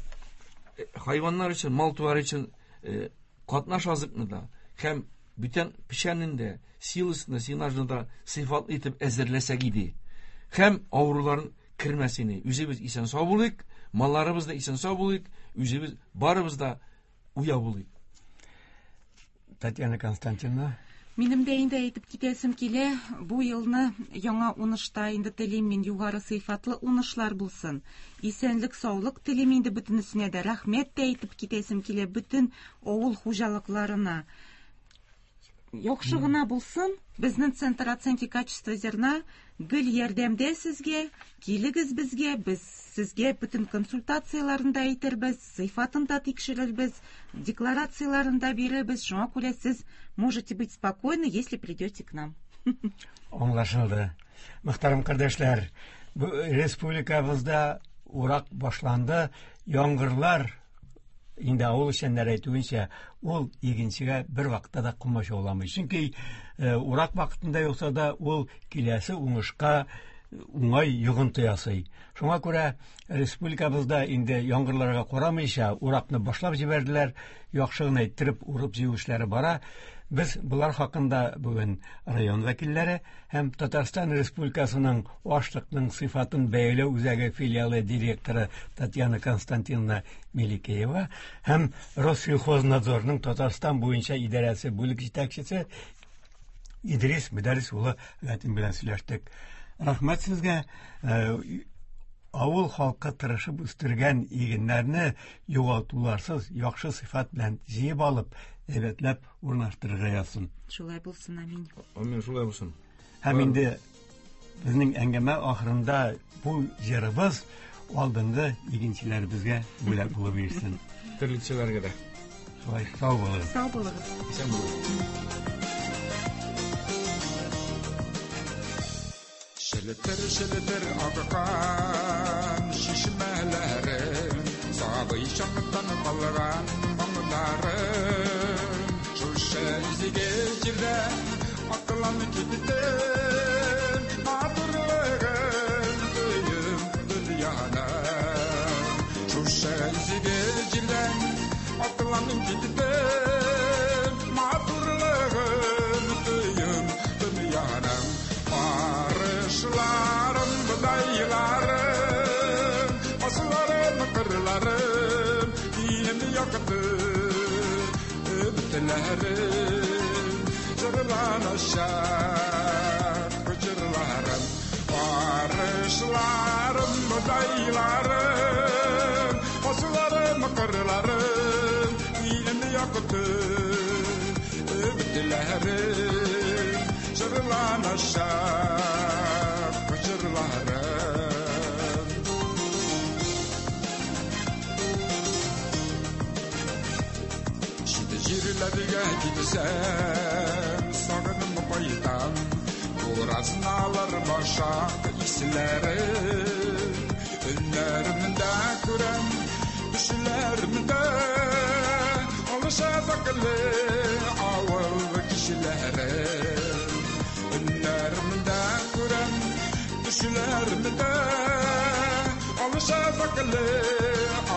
э, хайваннар өчен, мал-туар өчен, э, катнаш азыкны да һәм бүтән печәнен дә, силосны, сенажны да сыйфатлы итеп әзерләсәк иде. Һәм авыруларын кермәсен. Үзебез исән сау булыйк, малларыбыз да исән сау булыйк, үзебез барыбыз да уяу булыйк. Татьяна Константиновна. Минем дә инде әйтеп китәсем килә, бу елны яңа уңышта инде телим мин югары сыйфатлы уңышлар булсын. Исәнлек, саулык телим инде бөтенесенә дә. Рәхмәт тә әйтеп китәсем килә бөтен авыл хуҗалыкларына. Яхшы гына булсын. Безнең Центр оценки качества зерна гел ярдәмдә сезгә, килегез безгә, без сезгә бөтен консультацияларын да әйтербез, сыйфатын да тикшерербез, декларацияларын да бирербез. Шуңа күрә сез можете быть спокойны, если придете к нам. Аңлашылды. Мөхтәрәм кардәшләр, бу республикабызда урак башланды, яңгырлар инде авыл эшчәннәре әйтүенчә, ул игенчегә бер вакытта да комачауламый. Чөнки, э, урак вакытында юкса да ул киләсе уңышка уңай йогынты ясый. Шуңа күрә республикабызда инде яңгырларга карамыйча уракны башлап җибәрделәр, яхшы гына иттереп урып җыю эшләре бара. Без булар хакында бүген район вәкилләре һәм Татарстан Республикасының ашлыкның сыйфатын бәяләү үзәге филиалы директоры Татьяна Константиновна Меликеева һәм Россельхознадзорның Татарстан буенча идарәсе бүлек җитәкчесе Идрис Мөдәррис улы Гатин белән сөйләштек. Рәхмәт сезгә. Э, авыл халкы тырышып үстергән игеннәрне югалтуларсыз яхшы сыйфат белән җыеп алып, әйбәтләп урнаштырырга язсын. Шулай булсын, амин. Амин, шулай булсын. Һәм инде безнең әңгәмә ахырында бу җырыбыз алдынгы игенчеләребезгә бүләк булып бирсен. Терлекчеләргә дә. Шулай, сау булыгыз. Сау булыгыз. Исән булыгыз. Шелетер, шелетер аккан шишмәләрем, сабый чактан калган моңнарым. Шушы изге җирдә атланып киттем, матурлыгын тоеп дөньяның. Шушы изге җирдән атланып киттем, матурлыгын тоеп дөньяның. Арышларым, бодайларым, асылларым, кырларым, илем якты өметләрем. Жырланышак җырларым, арышларым, бодайларым, асыларым, кырларым, илемне якты өметләрем, жырланышак җырларым. Чит җирләргә китсәм, сагынып кайтам, буразналар башак исләре, өннәремдә күрәм, төшләремдә алышафаклы авыл кешеләре. Өннәремдә күрәм, төшләремдә алышафаклы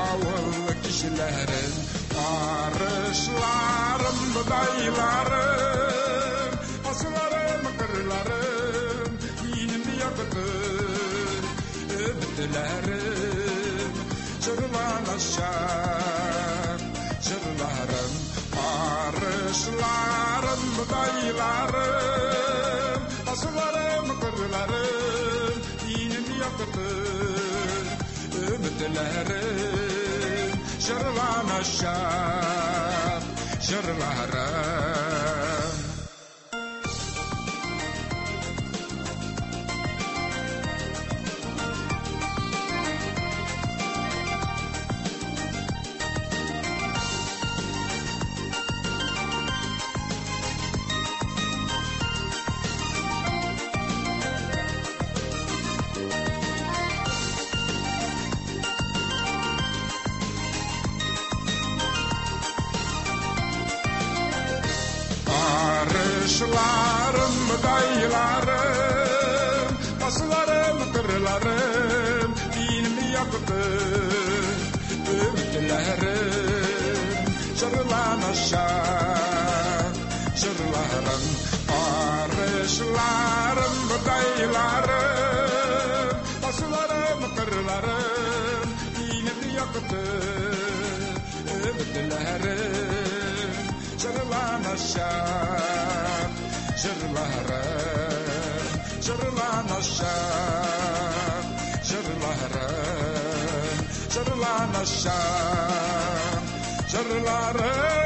авыл кешеләре. Арышларым, бодайларым, асыларым, кырларым, минем якты өметләрем, жырланышак җырларым. Арышларым, бодайларым, асыларым, кырларым, минем якты өметләрем, жырланышак җырларым. Арышларым, бодайларым, басуларым, кырларым, минем якты өметләрем, жырланышак җырларым. Арышларым, бодайларым, басуларым, кырларым, минем якты өметләрем, жырланышак җырларым, жырланышак җырларым, жырланышак җырларым.